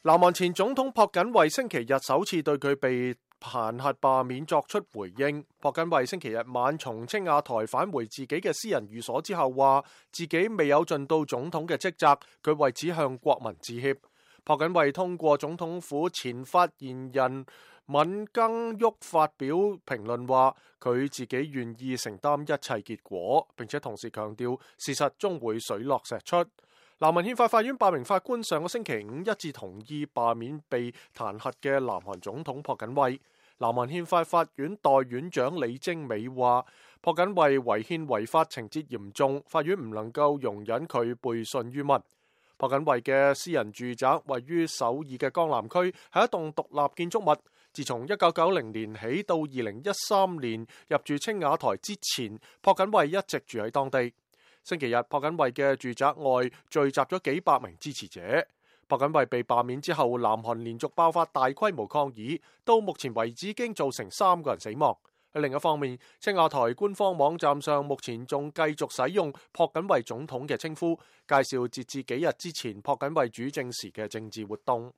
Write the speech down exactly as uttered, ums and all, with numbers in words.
南韓前總統朴槿惠星期日首次對佢被彈劾罷免作出回應。朴槿惠星期日晚從青瓦台返回自己嘅私人寓所之後，話自己未有盡到總統嘅職責，佢為此向國民致歉。朴槿惠通過總統府前發言人敏更旭發表評論，話佢自己願意承擔一切結果，並且同時強調事實終會水落石出。南韓憲法法院八名法官上個星期五一致同意罷免被彈劾嘅南韓總統朴槿惠。南韓憲法法院代院長李貞美話，朴槿惠違憲違法情節嚴重，法院唔能夠容忍佢背信於民。朴槿惠嘅私人住宅位於首爾嘅江南區，係一棟獨立建築物。自從一九九零年起到二零一三年入住青瓦台之前，朴槿惠一直住喺當地。星期日，朴槿惠嘅住宅外聚集咗幾百名支持者。朴槿惠被罷免之後，南韓連續爆發大規模抗議，到目前為止已經造成三個人死亡。喺另一方面，青瓦台官方網站上目前仲繼續使用朴槿惠總統嘅稱呼，介紹截至幾日之前朴槿惠主政時嘅政治活動。